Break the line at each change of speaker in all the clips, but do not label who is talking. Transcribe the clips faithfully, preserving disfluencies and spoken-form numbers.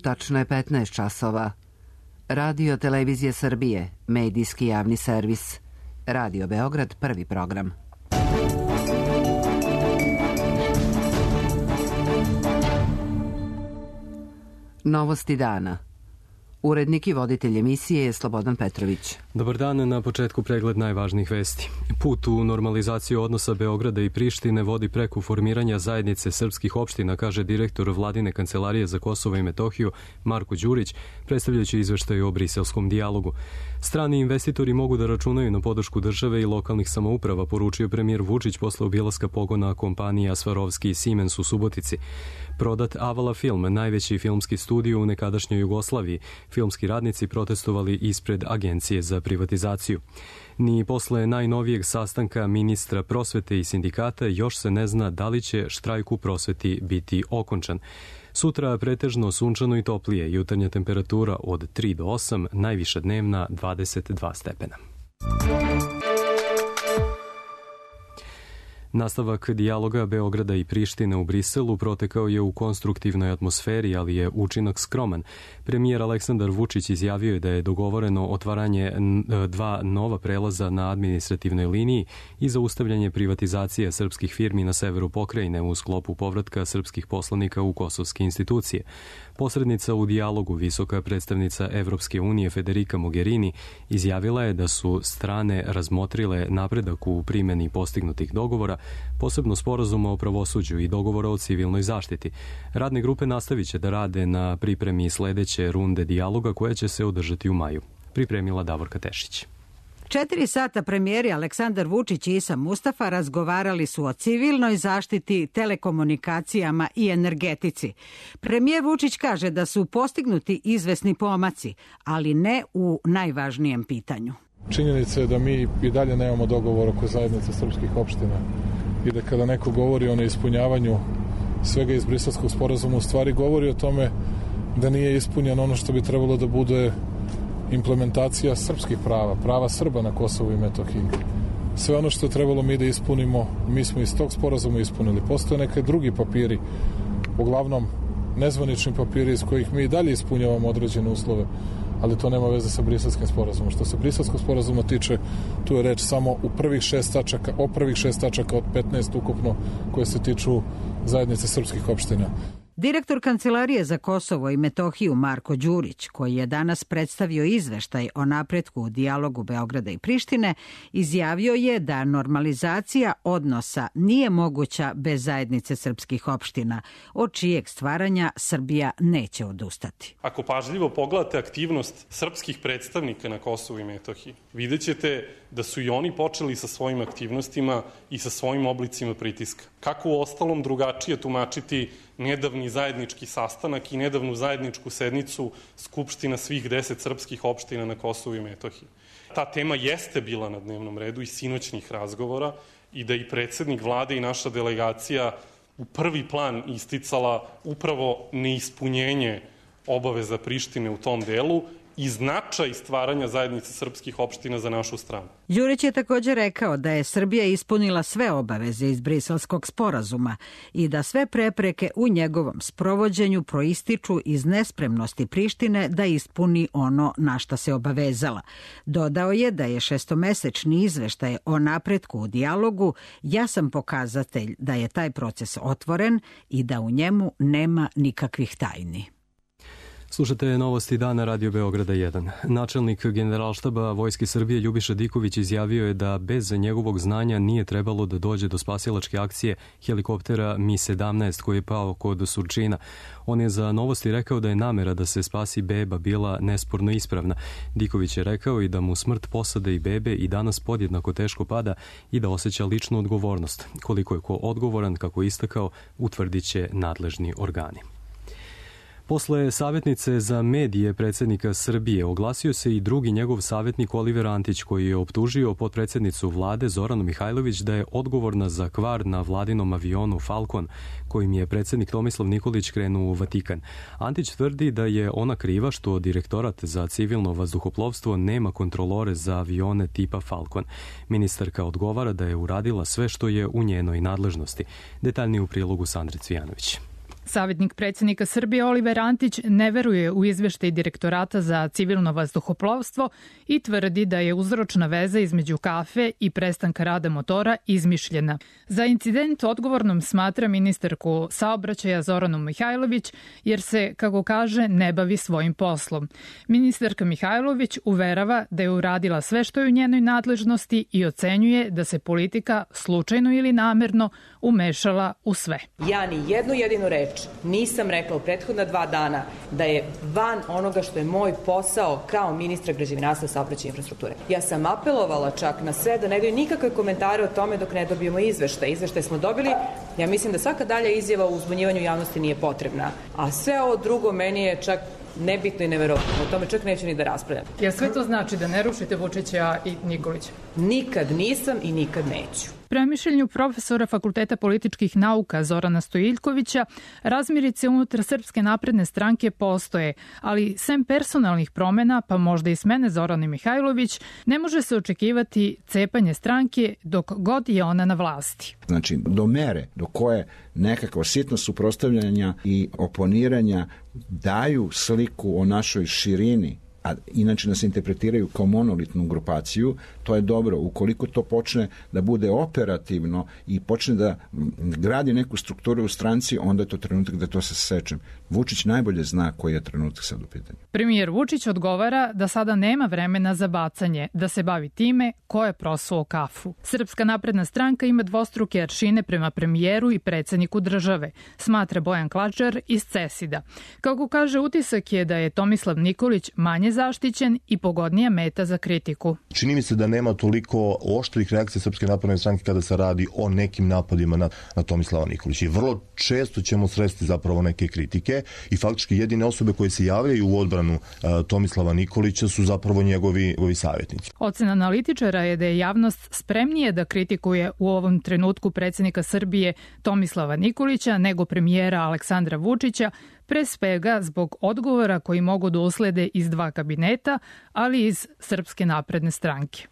Tačno je petnaest časova. Radio Televizije Srbije, medijski javni servis. Radio Beograd, prvi program. Novosti dana. Urednik i voditelj emisije je Slobodan Petrović.
Dobar dan, na početku pregled najvažnijih vesti. Put u normalizaciju odnosa Beograda i Prištine vodi preko formiranja zajednice srpskih opština, kaže direktor Vladine kancelarije za Kosovo i Metohiju Marko Đurić, predstavljajući izveštaj o briselskom dijalogu. Strani investitori mogu da računaju na podršku države i lokalnih samouprava, poručio premijer Vučić posle obilaska pogona kompanija Svarovski i Siemens u Subotici. Prodat Avala Film, najveći filmski studio u nekadašnjoj Jugoslaviji. Filmski radnici protestovali ispred Agencije za privatizaciju. Ni posle najnovijeg sastanka ministra prosvete i sindikata još se ne zna da li će štrajk u prosveti biti okončan. Sutra pretežno sunčano i toplije, jutarnja temperatura od tri do osam, najviša dnevna dvadeset dva stepena. Nastavak dijaloga Beograda i Prištine u Briselu protekao je u konstruktivnoj atmosferi, ali je učinak skroman. Premijer Aleksandar Vučić izjavio je da je dogovoreno otvaranje dva nova prelaza na administrativnoj liniji i zaustavljanje privatizacije srpskih firmi na severu pokrajine u sklopu povratka srpskih poslanika u kosovske institucije. Posrednica u dijalogu, visoka predstavnica Evropske unije Federica Mogherini, izjavila je da su strane razmotrile napredak u primjeni postignutih dogovora, posebno sporazuma o pravosuđu i dogovora o civilnoj zaštiti. Radne grupe nastavit će da rade na pripremi sledeće runde dijaloga koja će se održati u maju. Pripremila Davorka Tešić.
Četiri sata premijeri Aleksandar Vučić i Isa Mustafa razgovarali su o civilnoj zaštiti, telekomunikacijama i energetici. Premijer Vučić kaže da su postignuti izvesni pomaci, ali ne u najvažnijem pitanju.
Činjenica je da mi i dalje nemamo dogovor oko zajednice srpskih opština i da kada neko govori o neispunjavanju svega iz Briselskog sporazuma, u stvari govori o tome da nije ispunjeno ono što bi trebalo da bude implementacija srpskih prava, prava Srba na Kosovu i Metohiji. Sve ono što je trebalo mi da ispunimo, mi smo iz tog sporazuma ispunili. Postoje neke drugi papiri, uglavnom nezvanični papiri iz kojih mi i dalje ispunjavamo određene uslove, ali to nema veze sa Briselskim sporazumom. Što se Briselskog sporazuma tiče, tu je reč samo u prvih šest tačaka, o prvih šest tačaka od petnaest ukupno koje se tiču zajednice srpskih opština.
Direktor Kancelarije za Kosovo i Metohiju Marko Đurić, koji je danas predstavio izveštaj o napretku u dijalogu Beograda i Prištine, izjavio je da normalizacija odnosa nije moguća bez zajednice srpskih opština, od čijeg stvaranja Srbija neće odustati.
Ako pažljivo pogledate aktivnost srpskih predstavnika na Kosovu i Metohiji, vidjet ćete da su i oni počeli sa svojim aktivnostima i sa svojim oblicima pritiska. Kako u ostalom drugačije tumačiti nedavni zajednički sastanak i nedavnu zajedničku sednicu Skupština svih deset srpskih opština na Kosovu i Metohiji. Ta tema jeste bila na dnevnom redu i sinoćnih razgovora i da i predsednik vlade i naša delegacija u prvi plan isticala upravo neispunjenje obaveza Prištine u tom delu i značaj stvaranja zajednice srpskih opština za našu stranu.
Đurić je također rekao da je Srbija ispunila sve obaveze iz Briselskog sporazuma i da sve prepreke u njegovom sprovođenju proističu iz nespremnosti Prištine da ispuni ono na šta se obavezala. Dodao je da je šestomesečni izveštaj o napretku u dijalogu jasan pokazatelj da je taj proces otvoren i da u njemu nema nikakvih tajni.
Slušate novosti dana Radio Beograda jedan. Načelnik Generalštaba Vojske Srbije Ljubiša Diković izjavio je da bez njegovog znanja nije trebalo da dođe do spasilačke akcije helikoptera Mi sedamnaest koji je pao kod Surčina. On je za Novosti rekao da je namera da se spasi beba bila nesporno ispravna. Diković je rekao i da mu smrt posade i bebe i danas podjednako teško pada i da osjeća ličnu odgovornost. Koliko je ko odgovoran, kako je istakao, utvrdit će nadležni organi. Posle savjetnice za medije predsjednika Srbije oglasio se i drugi njegov savjetnik Oliver Antić, koji je optužio potpredsjednicu vlade Zoranu Mihajlović da je odgovorna za kvar na vladinom avionu Falcon, kojim je predsjednik Tomislav Nikolić krenuo u Vatikan. Antić tvrdi da je ona kriva što Direktorat za civilno vazduhoplovstvo nema kontrolore za avione tipa Falcon. Ministarka odgovara da je uradila sve što je u njenoj nadležnosti. Detaljnije u prilogu Sandre Cvijanović.
Savjetnik predsjednika Srbije Oliver Antić ne veruje u izveštaj Direktorata za civilno vazduhoplovstvo i tvrdi da je uzročna veza između kafe i prestanka rada motora izmišljena. Za incident odgovornom smatra ministarku saobraćaja Zoranu Mihajlović jer se, kako kaže, ne bavi svojim poslom. Ministarka Mihajlović uverava da je uradila sve što je u njenoj nadležnosti i ocenjuje da se politika slučajno ili namerno umešala u sve.
Ja ni jednu jedinu reč nisam rekla u prethodna dva dana da je van onoga što je moj posao kao ministra građevinarstva, saobraćaja i infrastrukture. Ja sam apelovala čak na sve da ne daju nikakve komentare o tome dok ne dobijemo izveštaj. Izveštaj smo dobili. Ja mislim da svaka dalja izjava u uzbunjivanju javnosti nije potrebna. A sve ovo drugo meni je čak nebitno i neverovatno. O tome čak neću ni da raspravljam.
Jer sve to znači da ne rušite Vučića i Nikolića?
Nikad nisam i nikad neću.
Prema mišljenju profesora Fakulteta političkih nauka Zorana Stojiljkovića, razmirice unutar Srpske napredne stranke postoje, ali sem personalnih promena, pa možda i smene Zorane Mihajlović, ne može se očekivati cepanje stranke dok god je ona na vlasti.
Znači, do mere do koje nekakva sitna suprotstavljanja i oponiranja daju sliku o našoj širini, a inače nas interpretiraju kao monolitnu grupaciju, to je dobro. Ukoliko to počne da bude operativno i počne da gradi neku strukturu u stranci, onda je to trenutak da to se sečem. Vučić najbolje zna koji je trenutak sad u pitanju.
Premijer Vučić odgovara da sada nema vremena za bacanje, da se bavi time ko je prosuo kafu. Srpska napredna stranka ima dvostruke aršine prema premijeru i predsjedniku države, smatra Bojan Klačar iz CESID-a. Kako kaže, utisak je da je Tomislav Nikolić manje zaštićen i pogodnija meta za kritiku.
Čini mi se da nema toliko oštrih reakcija Srpske napredne stranke kada se radi o nekim napadima na, na Tomislava Nikolića. I vrlo često ćemo sresti zapravo neke kritike i faktički jedine osobe koje se javljaju u odbranu uh, Tomislava Nikolića su zapravo njegovi, njegovi savjetnici.
Ocena analitičara je da je javnost spremnije da kritikuje u ovom trenutku predsjednika Srbije Tomislava Nikolića nego premijera Aleksandra Vučića, pre svega zbog odgovora koji mogu da uslede iz dva kabineta, ali iz Srpske napredne stranke.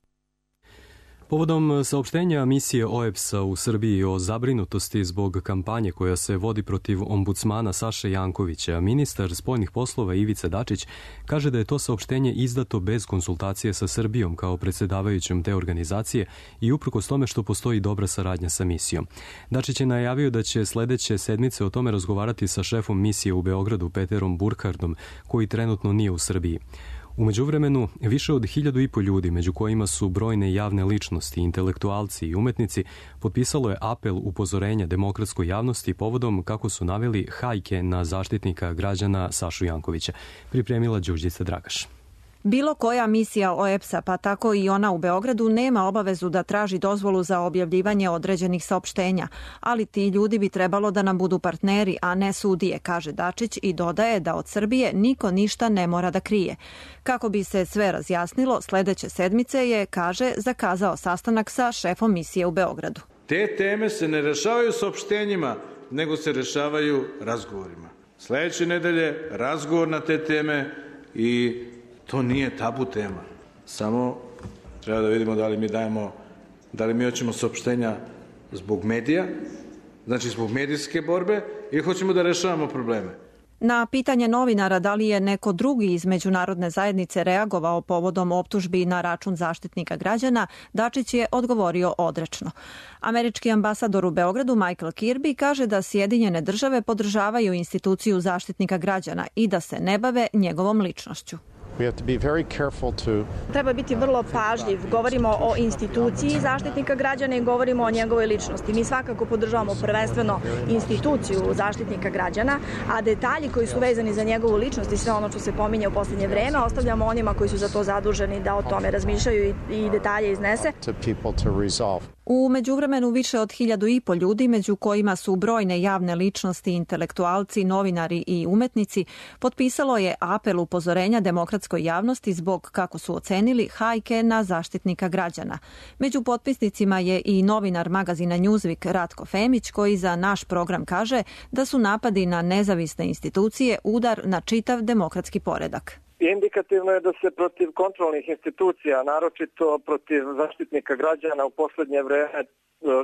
Povodom saopštenja misije O E B S-a u Srbiji o zabrinutosti zbog kampanje koja se vodi protiv ombudsmana Saše Jankovića, ministar spoljnih poslova Ivica Dačić kaže da je to saopštenje izdato bez konsultacije sa Srbijom kao predsjedavajućom te organizacije i uprkos tome što postoji dobra saradnja sa misijom. Dačić je najavio da će sledeće sedmice o tome razgovarati sa šefom misije u Beogradu Peterom Burkhardom, koji trenutno nije u Srbiji. U međuvremenu, više od hiljadu i po ljudi, među kojima su brojne javne ličnosti, intelektualci i umetnici, potpisalo je apel upozorenja demokratskoj javnosti povodom, kako su naveli, hajke na zaštitnika građana Sašu Jankovića. Pripremila Đurđica Dragaš.
Bilo koja misija O E B S-a, pa tako i ona u Beogradu, nema obavezu da traži dozvolu za objavljivanje određenih saopštenja, ali ti ljudi bi trebalo da nam budu partneri, a ne sudije, kaže Dačić i dodaje da od Srbije niko ništa ne mora da krije. Kako bi se sve razjasnilo, sledeće sedmice je, kaže, zakazao sastanak sa šefom misije u Beogradu.
Te teme se ne rešavaju saopštenjima, nego se rešavaju razgovorima. Sledeće nedelje razgovor na te teme i to nije tabu tema. Samo treba da vidimo da li mi dajemo, da li mi hoćemo saopštenja zbog medija, znači zbog medijske borbe, ili hoćemo da rešavamo probleme.
Na pitanje novinara da li je neko drugi iz međunarodne zajednice reagovao povodom optužbi na račun zaštitnika građana, Dačić je odgovorio odrečno. Američki ambasador u Beogradu Michael Kirby kaže da Sjedinjene države podržavaju instituciju zaštitnika građana i da se ne bave njegovom ličnošću.
Treba biti vrlo pažljiv. Govorimo o instituciji zaštitnika građana i govorimo o njegovoj ličnosti. Mi svakako podržavamo prvenstveno instituciju zaštitnika građana, a detalji koji su vezani za njegovu ličnost i sve ono što se pominje u poslednje vreme ostavljamo onima koji su za to zaduženi da o tome razmišljaju i detalje iznese.
U međuvremenu više od hiljadu i po ljudi, među kojima su brojne javne ličnosti, intelektualci, novinari i umetnici, potpisalo je apel upozorenja demokratskoj javnosti zbog, kako su ocenili, hajke na zaštitnika građana. Među potpisnicima je i novinar magazina Newsweek Ratko Femić, koji za naš program kaže da su napadi na nezavisne institucije udar na čitav demokratski poredak.
Indikativno je da se protiv kontrolnih institucija, naročito protiv zaštitnika građana u poslednje vreme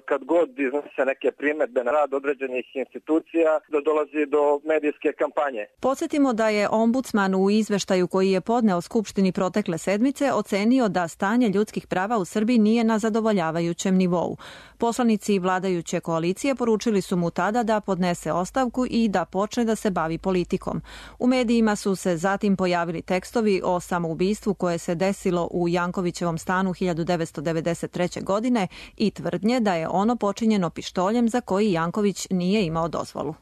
kad god iznose neke primedbe na rad određenih institucija, da dolazi do medijske kampanje.
Podsjetimo da je ombudsman u izveštaju koji je podneo Skupštini protekle sedmice ocenio da stanje ljudskih prava u Srbiji nije na zadovoljavajućem nivou. Poslanici vladajuće koalicije poručili su mu tada da podnese ostavku i da počne da se bavi politikom. U medijima su se zatim pojavili tekstovi o samoubistvu koje se desilo u Jankovićevom stanu hiljadu devetsto devedeset treće. godine i tvrdnje da je ono počinjeno pištoljem za koji Janković nije imao dozvolu.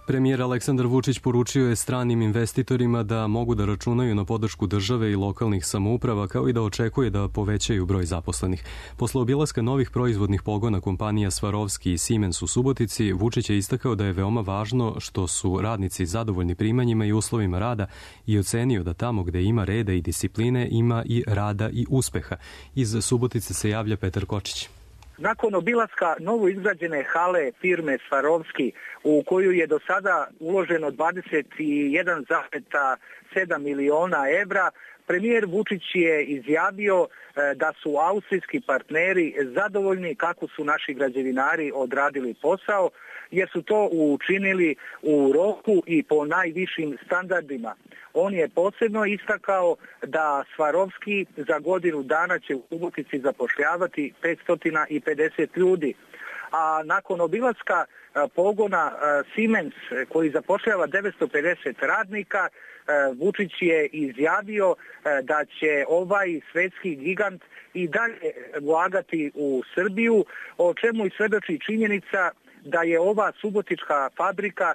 Premijer Aleksandar Vučić poručio je stranim investitorima da mogu da računaju na podršku države i lokalnih samouprava, kao i da očekuje da povećaju broj zaposlenih. Posle obilaska novih proizvodnih pogona kompanija Swarovski i Siemens u Subotici, Vučić je istakao da je veoma važno što su radnici zadovoljni primanjima i uslovima rada i ocenio da tamo gde ima reda i discipline ima i rada i uspeha. Iz Subotice se javlja Petar Kočić.
Nakon obilaska novo izgrađene hale firme Swarovski, u koju je do sada uloženo dvadeset jedan zarez sedam miliona evra, premijer Vučić je izjavio da su austrijski partneri zadovoljni kako su naši građevinari odradili posao, jer su to učinili u roku i po najvišim standardima. On je posebno istakao da Swarovski za godinu dana će u Subotici zapošljavati petsto pedeset ljudi. A nakon obilaska pogona Siemens koji zapošljava devetsto pedeset radnika, Vučić je izjavio da će ovaj svetski gigant i dalje ulagati u Srbiju, o čemu i svedoči činjenica da je ova subotička fabrika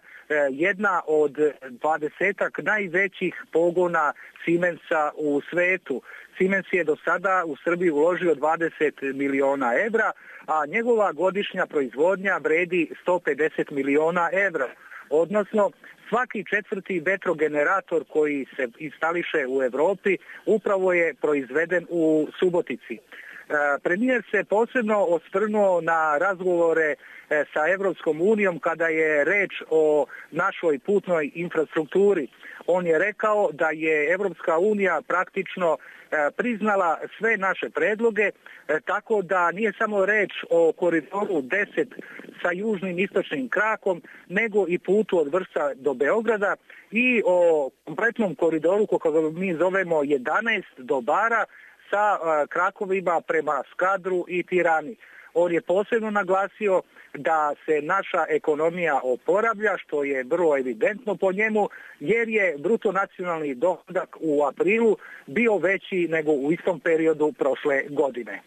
jedna od dvadesetak najvećih pogona Siemensa u svetu. Siemens je do sada u Srbiji uložio dvadeset miliona evra, a njegova godišnja proizvodnja vredi sto pedeset miliona evra. Odnosno, svaki četvrti vetrogenerator koji se instališe u Evropi upravo je proizveden u Subotici. Premijer se posebno osvrnuo na razgovore sa Evropskom unijom kada je reč o našoj putnoj infrastrukturi. On je rekao da je Evropska unija praktično priznala sve naše predloge, tako da nije samo reč o koridoru deset sa južnim istočnim krakom, nego i putu od Vršca do Beograda i o kompletnom koridoru, kako mi zovemo jedanaest do Bara, sa krakovima prema Skadru i Tirani. On je posebno naglasio da se naša ekonomija oporavlja, što je vrlo evidentno po njemu, jer je bruto nacionalni dohodak u aprilu bio veći nego u istom periodu prošle godine.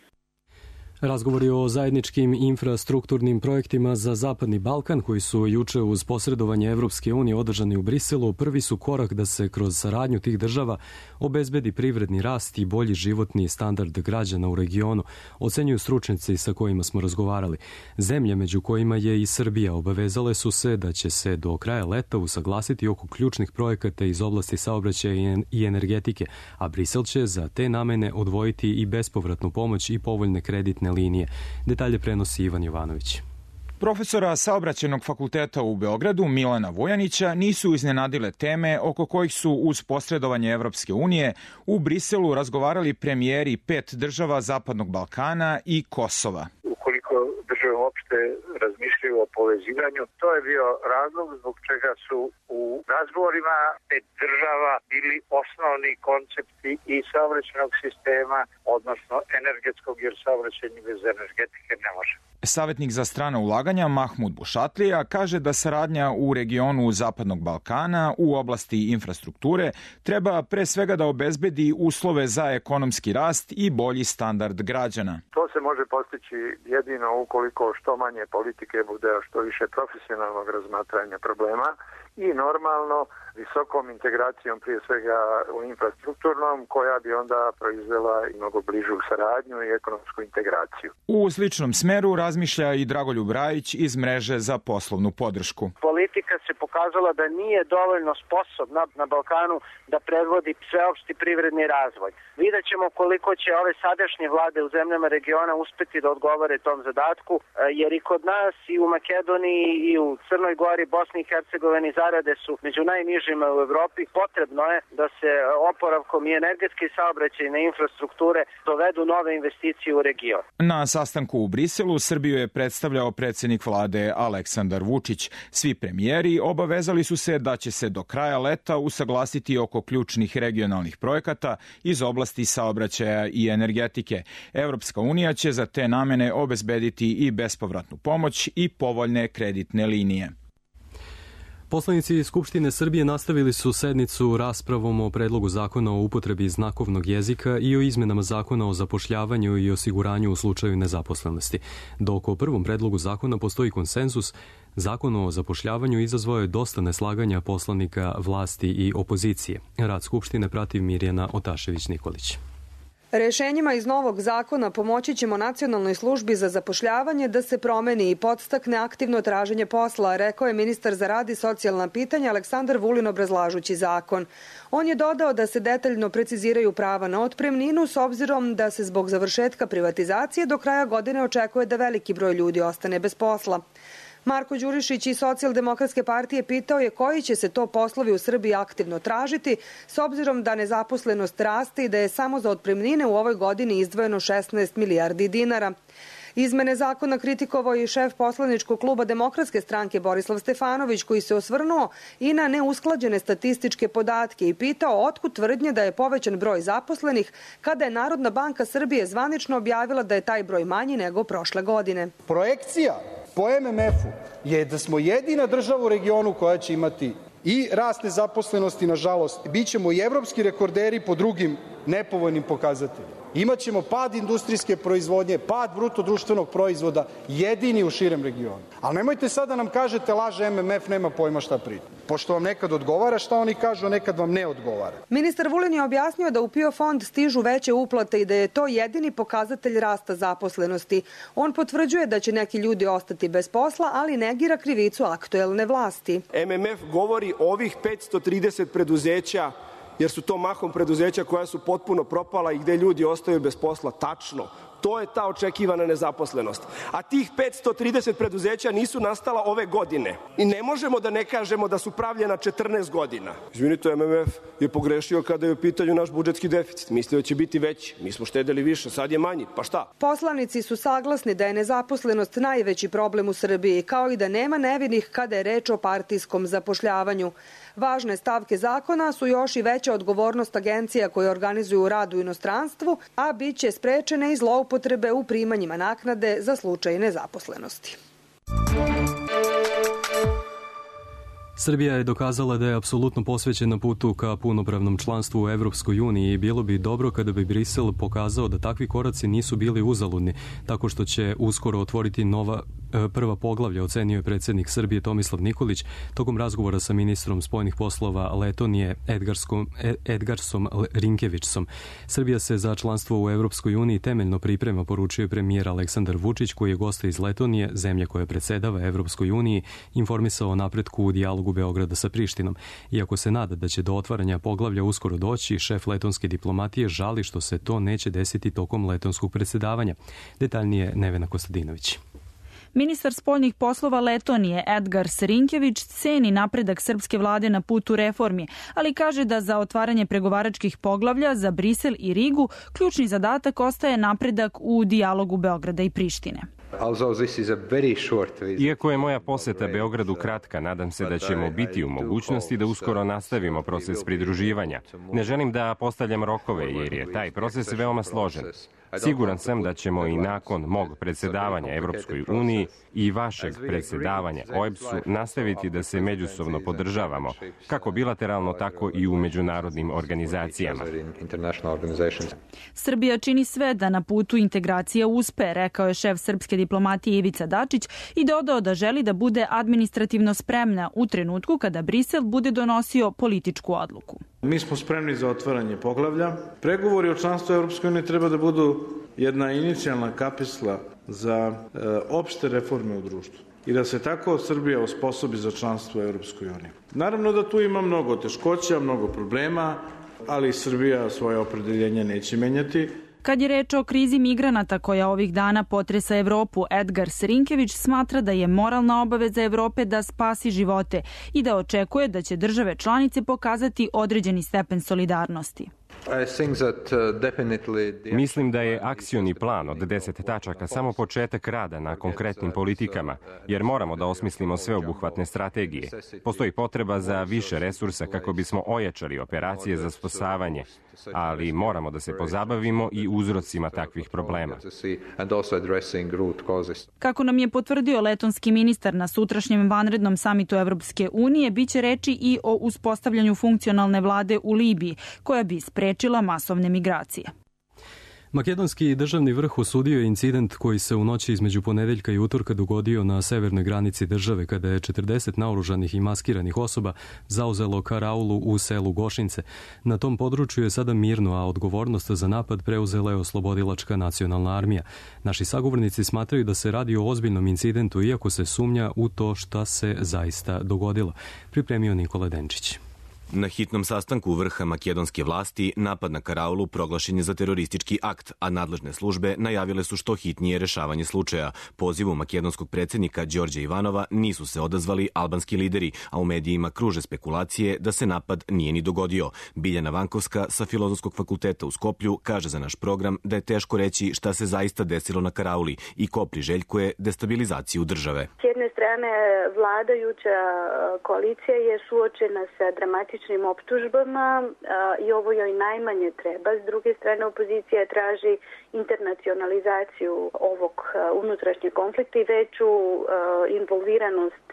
Razgovori o zajedničkim infrastrukturnim projektima za Zapadni Balkan, koji su juče uz posredovanje Evropske unije održani u Briselu, prvi su korak da se kroz saradnju tih država obezbedi privredni rast i bolji životni standard građana u regionu, ocenjuju stručnjaci sa kojima smo razgovarali. Zemlje, među kojima je i Srbija, obavezale su se da će se do kraja leta usaglasiti oko ključnih projekata iz oblasti saobraćaja i energetike, a Brisel će za te namene odvojiti i bespovratnu pomoć i povoljne kreditne linije. Detalje prenosi Ivan Jovanović.
Profesora Saobraćajnog fakulteta u Beogradu Milana Vujanića nisu iznenadile teme oko kojih su uz posredovanje Evropske unije u Briselu razgovarali premijeri pet država Zapadnog Balkana i Kosova.
Ukoliko države uopšte razmišljaju o povezivanju, to je bio razlog zbog čega su u razgovorima pet država bili osnovni koncepti i saobraćajnog sistema, odnosno energetskog, jer saobraćajni bez energetike ne može.
Savetnik za strana ulaganja Mahmud Bušatlija kaže da saradnja u regionu Zapadnog Balkana u oblasti infrastrukture treba pre svega da obezbedi uslove za ekonomski rast i bolji standard građana.
To se može postići jedino ukoliko što manje politike bude, što više profesionalnog razmatranja problema i normalno visokom integracijom prije svega u infrastrukturnom, koja bi onda proizvela i mnogo bližu saradnju i ekonomsku integraciju.
U sličnom smeru razmišlja i Dragoljub Rajić iz mreže za poslovnu podršku.
Politika se pokazala da nije dovoljno sposobna na Balkanu da predvodi sveopšti privredni razvoj. Vidjet ćemo koliko će ove sadašnje vlade u zemljama regiona uspeti da odgovore tom zadatku, jer i kod nas i u Makedoniji i u Crnoj Gori, Bosni i Hercegovini zarade su među najnižima u Evropi. Potrebno je da se oporavkom i energetske i saobraćajne infrastrukture dovedu nove investicije u region.
Na sastanku u Briselu Srbiju je predstavljao predsjednik vlade Aleksandar Vučić. Svi premijeri obavezali su se da će se do kraja leta usaglasiti oko ključnih regionalnih projekata iz oblasti saobraćaja i energetike. Evropska unija će za te namene obezbediti i bespovratnu pomoć i povoljne kreditne linije.
Poslanici Skupštine Srbije nastavili su sednicu raspravom o predlogu zakona o upotrebi znakovnog jezika i o izmenama zakona o zapošljavanju i osiguranju u slučaju nezaposlenosti. Dok o prvom predlogu zakona postoji konsenzus, Zakon o zapošljavanju izazvao je dosta neslaganja poslanika vlasti i opozicije. Rad Skupštine prati Mirjana Otašević-Nikolić.
Rešenjima iz novog zakona pomoći ćemo Nacionalnoj službi za zapošljavanje da se promeni i podstakne aktivno traženje posla, rekao je ministar za rad i socijalna pitanja Aleksandar Vulin obrazlažući zakon. On je dodao da se detaljno preciziraju prava na otpremninu s obzirom da se zbog završetka privatizacije do kraja godine očekuje da veliki broj ljudi ostane bez posla. Marko Đurišić iz Socijaldemokratske partije pitao je koji će se to poslovi u Srbiji aktivno tražiti s obzirom da nezaposlenost raste i da je samo za otpremnine u ovoj godini izdvojeno šesnaest milijardi dinara. Izmene zakona kritikovao i šef poslaničkog kluba Demokratske stranke Borislav Stefanović, koji se osvrnuo i na neusklađene statističke podatke i pitao otkud tvrdnje da je povećan broj zaposlenih kada je Narodna banka Srbije zvanično objavila da je taj broj manji nego prošle godine.
Projekcija po em em efu je da smo jedina država u regionu koja će imati i rast nezaposlenosti, nažalost, bit ćemo i evropski rekorderi po drugim nepovoljnim pokazateljima. Imaćemo pad industrijske proizvodnje, pad bruto društvenog proizvoda, jedini u širem regionu. Ali nemojte sad da nam kažete laže em em ef, nema pojma šta priča. Pošto vam nekad odgovara šta oni kažu, a nekad vam ne odgovara.
Ministar Vulin je objasnio da u PIO fond stižu veće uplate i da je to jedini pokazatelj rasta zaposlenosti. On potvrđuje da će neki ljudi ostati bez posla, ali negira krivicu aktuelne vlasti.
em em ef govori o ovih petsto trideset preduzeća, jer su to mahom preduzeća koja su potpuno propala i gde ljudi ostaju bez posla. Tačno. To je ta očekivana nezaposlenost. A tih petsto trideset preduzeća nisu nastala ove godine. I ne možemo da ne kažemo da su pravljena četrnaest godina. Izvinite, em em ef je pogrešio kada je u pitanju naš budžetski deficit. Mislio da će biti veći. Mi smo štedeli više, sad je manji. Pa šta?
Poslanici su saglasni da je nezaposlenost najveći problem u Srbiji, kao i da nema nevinih kada je reč o partijskom zapošljavanju. Važne stavke zakona su još i veća odgovornost agencija koje organizuju rad u inostranstvu, a bit će sprečene i zloupotrebe u primanjima naknade za slučaj nezaposlenosti.
Srbija je dokazala da je apsolutno posvećena putu ka punopravnom članstvu u Evropskoj uniji i bilo bi dobro kada bi Brisel pokazao da takvi koraci nisu bili uzaludni, tako što će uskoro otvoriti nova prva poglavlja, ocenio je predsjednik Srbije Tomislav Nikolić tokom razgovora sa ministrom spoljnih poslova Letonije Edgarskom, Edgarsom Rinkevićsom. Srbija se za članstvo u Evropskoj uniji temeljno priprema, poručio je premijer Aleksandar Vučić, koji je gosta iz Letonije, zemlje koja predsedava Evropskoj uniji, informisao o napretku u dijalogu Beograda sa Prištinom. Iako se nada da će do otvaranja poglavlja uskoro doći, šef letonske diplomatije žali što se to neće desiti tokom letonskog predsedavanja. Detaljnije Nevena Kostadinović.
Ministar spoljnih poslova Letonije Edgars Rinkević ceni napredak srpske vlade na putu reformi, ali kaže da za otvaranje pregovaračkih poglavlja za Brisel i Rigu ključni zadatak ostaje napredak u dijalogu Beograda i Prištine.
Iako je moja poseta Beogradu kratka, nadam se da ćemo biti u mogućnosti da uskoro nastavimo proces pridruživanja. Ne želim da postavljam rokove jer je taj proces veoma složen. Siguran sam da ćemo i nakon mog predsedavanja Evropskoj uniji i vašeg predsedavanja O E B S-u nastaviti da se međusobno podržavamo, kako bilateralno, tako i u međunarodnim organizacijama.
Srbija čini sve da na putu integracija uspe, rekao je šef srpske diplomatije Ivica Dačić i dodao da želi da bude administrativno spremna u trenutku kada Brisel bude donosio političku odluku.
Mi smo spremni za otvaranje poglavlja. Pregovori o članstvu Europske unije treba da budu jedna inicijalna kapisla za e, opšte reforme u društvu i da se tako Srbija osposobi za članstvo u Europskoj uniji. Naravno da tu ima mnogo teškoća, mnogo problema, ali Srbija svoje opredeljenje neće menjati.
Kad je reč o krizi migranata koja ovih dana potresa Evropu, Edgar Serinkević smatra da je moralna obaveza Evrope da spasi živote i da očekuje da će države članice pokazati određeni stepen solidarnosti.
Mislim da je akcioni plan od deset tačaka samo početak rada na konkretnim politikama, jer moramo da osmislimo sveobuhvatne strategije. Postoji potreba za više resursa kako bismo ojačali operacije za spasavanje, ali moramo da se pozabavimo i uzrocima takvih problema.
Kako nam je potvrdio letonski ministar na sutrašnjem vanrednom samitu Evropske unije, biće reči i o uspostavljanju funkcionalne vlade u Libiji, koja bi sprečila masovne migracije.
Makedonski državni vrh osudio je incident koji se u noći između ponedeljka i utorka dogodio na severnoj granici države kada je četrdeset naoružanih i maskiranih osoba zauzelo karaulu u selu Gošince. Na tom području je sada mirno, a odgovornost za napad preuzela je Oslobodilačka nacionalna armija. Naši sagovornici smatraju da se radi o ozbiljnom incidentu, iako se sumnja u to šta se zaista dogodilo. Pripremio Nikola Denčić.
Na hitnom sastanku vrha makedonske vlasti napad na karaulu proglašen je za teroristički akt, a nadležne službe najavile su što hitnije rešavanje slučaja. Pozivu makedonskog predsjednika Đorđa Ivanova nisu se odazvali albanski lideri, a u medijima kruže spekulacije da se napad nije ni dogodio. Biljana Vankovska sa Filozofskog fakulteta u Skoplju kaže za naš program da je teško reći šta se zaista desilo na karauli i ko priželjkuje destabilizaciju države.
S jedne strane, vladajuća koalicija je suočena sa dramatičnim optužbama i ovo joj najmanje treba. S druge strane, opozicija traži internacionalizaciju ovog unutrašnjeg konflikta i veću involviranost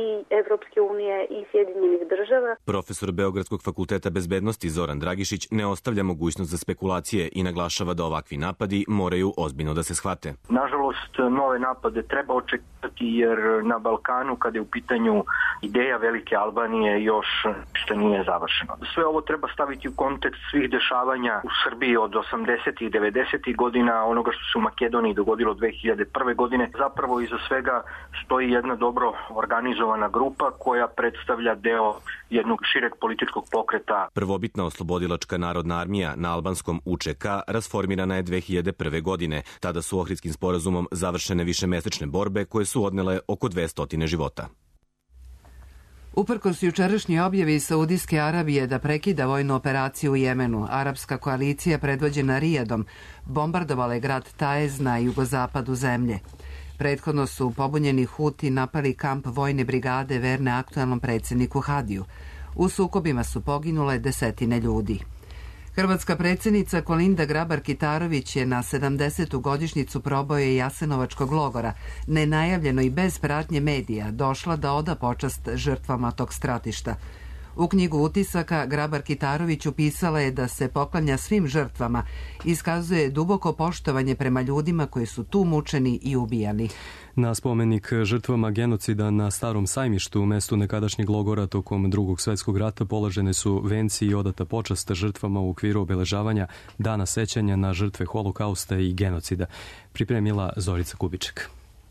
i Evropske unije i Sjedinjenih država.
Profesor Beogradskog fakulteta bezbednosti Zoran Dragišić ne ostavlja mogućnost za spekulacije i naglašava da ovakvi napadi moraju ozbiljno da se shvate.
Nažalost, nove napade treba očekivati jer na Balkanu, kada je u pitanju ideja Velike Albanije, još što nije završeno. Sve ovo treba staviti u kontekst svih dešavanja u Srbiji od osamdesetih i devedesetih godina, onoga što se u Makedoniji dogodilo dve hiljade prve. godine. Zapravo iza svega stoji jedna dobro organizovana grupa koja predstavlja deo jednog šireg političkog pokreta.
Prvobitna Oslobodilačka narodna armija na albanskom U Č K rasformirana je dve hiljade prve. godine. Tada su Ohridskim sporazumom završene višemesečne borbe koje su odnele oko dvesta života.
Uprkos jučerašnjoj objavi Saudijske Arabije da prekida vojnu operaciju u Jemenu, arapska koalicija predvođena Rijadom bombardovala je grad Taez na jugozapadu zemlje. Prethodno su pobunjeni Huti napali kamp vojne brigade verne aktualnom predsjedniku Hadiju. U sukobima su poginule desetine ljudi. Hrvatska predsjednica Kolinda Grabar-Kitarović je na sedamdesetu godišnjicu proboja Jasenovačkog logora, nenajavljeno i bez pratnje medija, došla da oda počast žrtvama tog stratišta. U knjigu utisaka Grabar-Kitarović upisala je da se poklanja svim žrtvama, iskazuje duboko poštovanje prema ljudima koji su tu mučeni i ubijani.
Na spomenik žrtvama genocida na Starom sajmištu u mestu nekadašnjeg logora tokom Drugog svjetskog rata položene su venci i odata počast žrtvama u okviru obeležavanja Dana sećanja na žrtve holokausta i genocida. Pripremila Zorica Kubiček.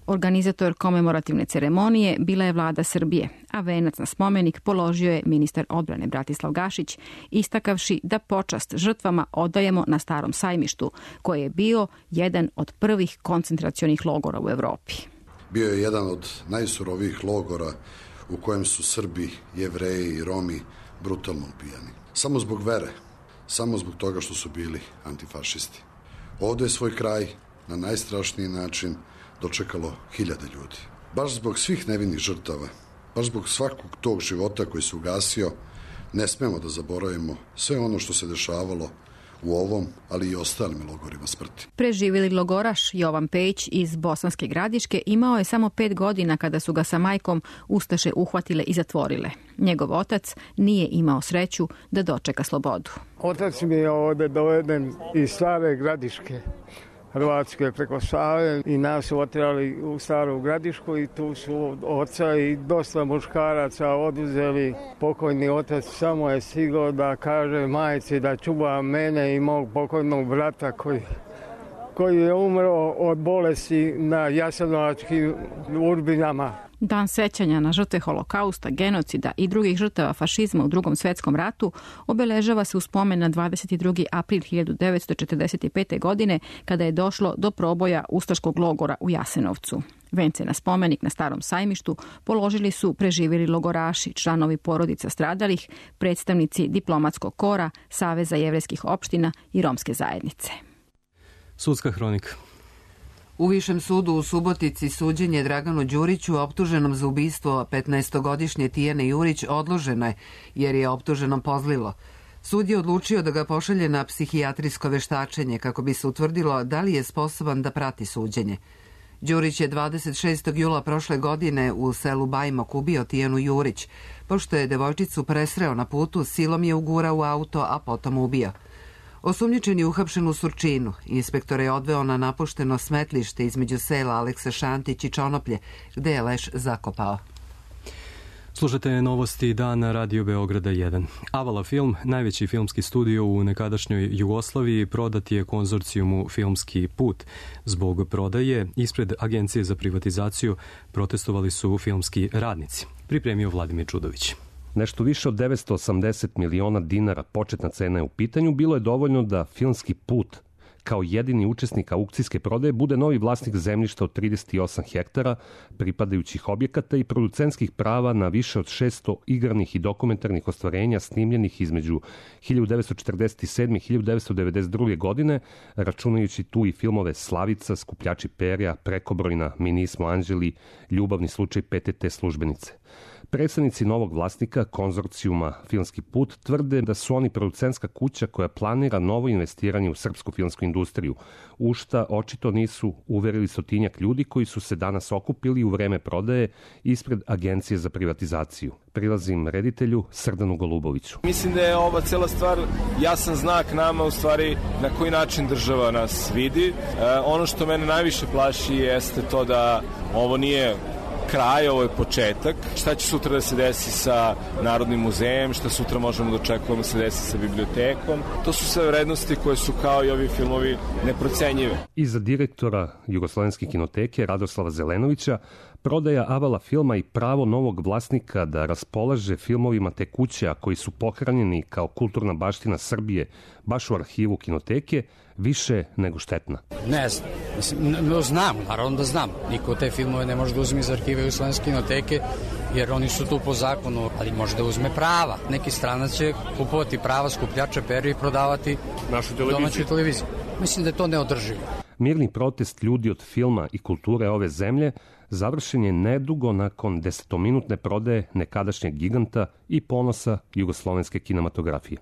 Organizator komemorativne ceremonije bila je vlada Srbije, a venac na spomenik položio je ministar odbrane Bratislav Gašić, istakavši da počast žrtvama odajemo na Starom sajmištu, koji je bio jedan od prvih koncentracionih logora u Evropi.
Bio je jedan od najsurovijih logora u kojem su Srbi, Jevreji i Romi brutalno ubijani. Samo zbog vere, samo zbog toga što su bili antifašisti. Ovdje je svoj kraj na najstrašniji način dočekalo hiljade ljudi. Baš zbog svih nevinih žrtava, baš zbog svakog tog života koji se ugasio, ne smemo da zaboravimo sve ono što se dešavalo u ovom, ali i ostalim logorima smrti.
Preživjeli logoraš Jovan Pejić iz Bosanske Gradiške imao je samo pet godina kada su ga sa majkom ustaše uhvatile i zatvorile. Njegov otac nije imao sreću da dočeka slobodu.
Otac mi je ovdje doveden iz Stare Gradiške.
Hrvatske preko Save i nas su otirali u Staru Gradišku i tu su oca i dosta muškaraca oduzeli. Pokojni otac samo je stigao da kaže majci da čuva mene i mog pokojnog brata koji, koji je umro od bolesti na jasenovačkim urbinama.
Dan sećanja na žrtve holokausta, genocida i drugih žrtava fašizma u Drugom svetskom ratu obeležava se u spomen na dvadeset drugi april hiljadu devetsto četrdeset pete. godine kada je došlo do proboja ustaškog logora u Jasenovcu. Vence na spomenik na Starom sajmištu položili su preživjeli logoraši, članovi porodica stradalih, predstavnici diplomatskog kora, Saveza jevrejskih opština i romske zajednice.
Sudska hronika.
U Višem sudu u Subotici suđenje Draganu Đuriću, optuženom za ubistvo petnaestogodišnje Tijane Jurić, odloženo je jer je optuženom pozlilo. Sud je odlučio da ga pošalje na psihijatrijsko veštačenje kako bi se utvrdilo da li je sposoban da prati suđenje. Đurić je dvadeset šestog jula prošle godine u selu Bajmok ubio Tijanu Jurić. Pošto je devojčicu presreo na putu, silom je ugurao u auto, a potom ubio. Osumnjičen je uhapšen u Surčinu. Inspektor je odveo na napušteno smetlište između sela Aleksa Šantić i Čonoplje, gde je leš zakopao.
Slušate novosti dana Radio Beograda jedan. Avala Film, najveći filmski studio u nekadašnjoj Jugoslaviji, prodat je konzorcijumu Filmski put. Zbog prodaje, ispred Agencije za privatizaciju protestovali su filmski radnici. Pripremio Vladimir Čudović.
Nešto više od devetsto osamdeset miliona dinara početna cena je u pitanju, bilo je dovoljno da Filmski put kao jedini učesnik aukcijske prodaje bude novi vlasnik zemljišta od trideset osam hektara, pripadajućih objekata i producentskih prava na više od šesto igranih i dokumentarnih ostvarenja snimljenih između hiljadu devetsto četrdeset sedme i hiljadu devetsto devedeset druge. godine, računajući tu i filmove Slavica, Skupljači perja, Prekobrojna, Mi nismo anđeli, Ljubavni slučaj P T T službenice. Predstavnici novog vlasnika, konzorcijuma Filmski put, tvrde da su oni producentska kuća koja planira novo investiranje u srpsku filmsku industriju, u šta očito nisu uverili stotinjak ljudi koji su se danas okupili u vreme prodaje ispred Agencije za privatizaciju. Prilazim reditelju Srdanu Goluboviću.
Mislim da je ova cela stvar jasan znak nama u stvari na koji način država nas vidi. E, ono što mene najviše plaši jeste to da ovo nije kraj, ovo je početak. Šta će sutra da se desi sa Narodnim muzejem, šta sutra možemo da očekujemo da se desi sa bibliotekom. To su sve vrednosti koje su kao i ovi filmovi neprocenjive.
Iza direktora Jugoslovenske kinoteke Radoslava Zelenovića, prodaja Avala filma i pravo novog vlasnika da raspolaže filmovima te kuće, a koji su pohranjeni kao kulturna baština Srbije baš u arhivu kinoteke, više nego štetna.
Ne znam. Mislim, no, znam, naravno da znam. Niko te filmove ne može da uzme iz arhive Jugoslovenske kinoteke, jer oni su tu po zakonu, ali može da uzme prava. Neki stranac će kupovati prava Skupljača perja i prodavati domaćoj televiziji. Mislim da je to neodrživo.
Mirni protest ljudi od filma i kulture ove zemlje završen je nedugo nakon desetominutne prodaje nekadašnjeg giganta i ponosa jugoslovenske kinematografije.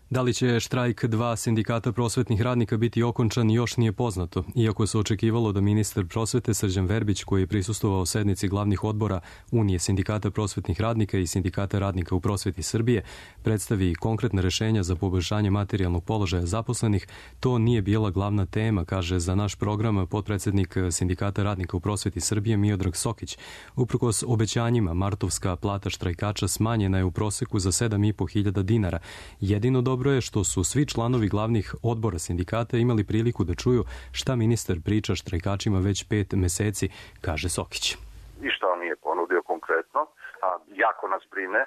Da li će štrajk dva sindikata prosvetnih radnika biti okončan još nije poznato, iako se očekivalo da ministar prosvete Srđan Verbić, koji je prisustvovao sednici glavnih odbora Unije sindikata prosvetnih radnika i sindikata radnika u prosveti Srbije, predstavi konkretna rešenja za poboljšanje materijalnog položaja zaposlenih, to nije bila glavna tema, kaže za naš program potpredsednik sindikata radnika u prosveti Srbije Miodrag Sokić. Uprkos obećanjima, martovska plata štrajkača smanjena je u proseku za sedam i po hiljada dinara. Jedino dobro je što su svi članovi glavnih odbora sindikata imali priliku da čuju šta ministar priča štrajkačima već pet meseci, kaže Sokić.
I šta on nije ponudio konkretno, a jako nas brine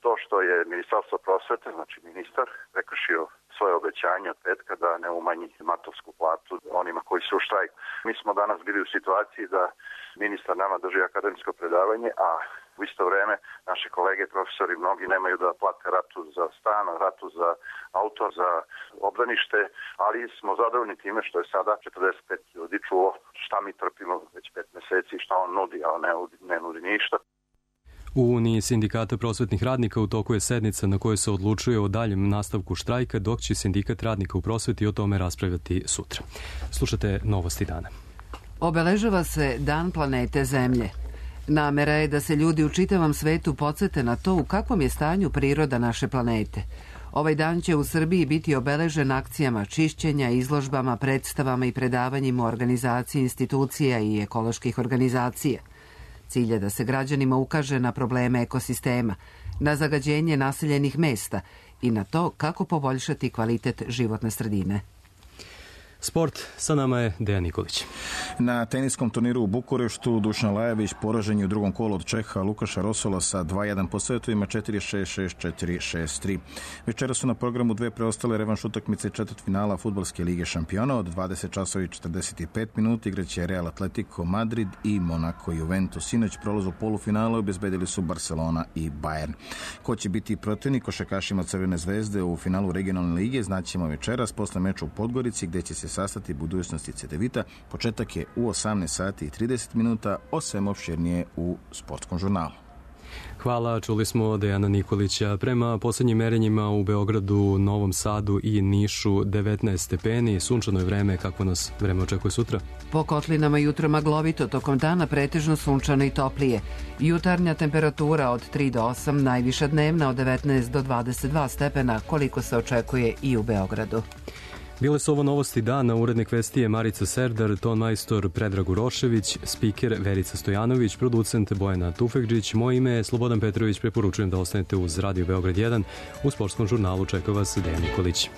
to što je Ministarstvo prosvete, znači ministar, prekršio svoje obećanje od petka da ne umanji martovsku platu onima koji su u štrajku. Mi smo danas bili u situaciji da ministar nama drži akademsko predavanje, a u isto vreme naše kolege, profesori, mnogi nemaju da plate ratu za stan, ratu za auto, za obdanište, ali smo zadovoljni time što je sada četrdeset pet ljudi čulo šta mi trpimo već pet meseci, šta on nudi, a on ne, ne nudi ništa.
U Uniji sindikata prosvetnih radnika u toku je sednica na kojoj se odlučuje o daljem nastavku štrajka, dok će sindikat radnika u prosveti o tome raspravljati sutra. Slušate novosti dana.
Obeležava se Dan planete Zemlje. Namera je da se ljudi u čitavom svetu podsete na to u kakvom je stanju priroda naše planete. Ovaj dan će u Srbiji biti obeležen akcijama čišćenja, izložbama, predstavama i predavanjima u organizaciji institucija i ekoloških organizacija. Cilj je da se građanima ukaže na probleme ekosistema, na zagađenje naseljenih mesta i na to kako poboljšati kvalitet životne sredine.
Sport, sa nama je Dejan Nikolić.
Na teniskom turniru u Bukureštu Dušan Lajević poražen je u drugom kolu od Čeha Lukaša Rosola sa dva jedan po setovima četiri šest šest četiri šest tri. Večera su na programu dve preostale revanš utakmice četvrtfinala Fudbalske lige šampiona. Od dvadeset časova i četrdeset pet minuta igraće Real Atletico Madrid i Monaco Juventus. Sinoć prolaz u polufinalu obezbedili su Barcelona i Bayern. Ko će biti protivnik košarkašima Crvene zvezde u finalu regionalne lige znaćemo večeras posle meča u Podgorici gde će se sastati budućnosti Cedevita. Početak je u osamnaest sati i trideset minuta, o svemu opširnije u Sportskom žurnalu.
Hvala, čuli smo Dejana Nikolića. Prema poslednjim merenjima u Beogradu, Novom Sadu i Nišu devetnaest stepeni, sunčano je vreme, kako nas vreme očekuje sutra?
Po kotlinama jutro maglovito, tokom dana pretežno sunčano i toplije. Jutarnja temperatura od tri do osam, najviša dnevna od devetnaest do dvadeset dva stepena, koliko se očekuje i u Beogradu.
Bile su ovo novosti dana, urednik vesti je Marica Serdar, ton majstor Predrag Urošević, spiker Verica Stojanović, producent Bojana Tufekđić. Moje ime je Slobodan Petrović, preporučujem da ostanete uz Radio Beograd jedan. U Sportskom žurnalu čeka vas Dejan Nikolić.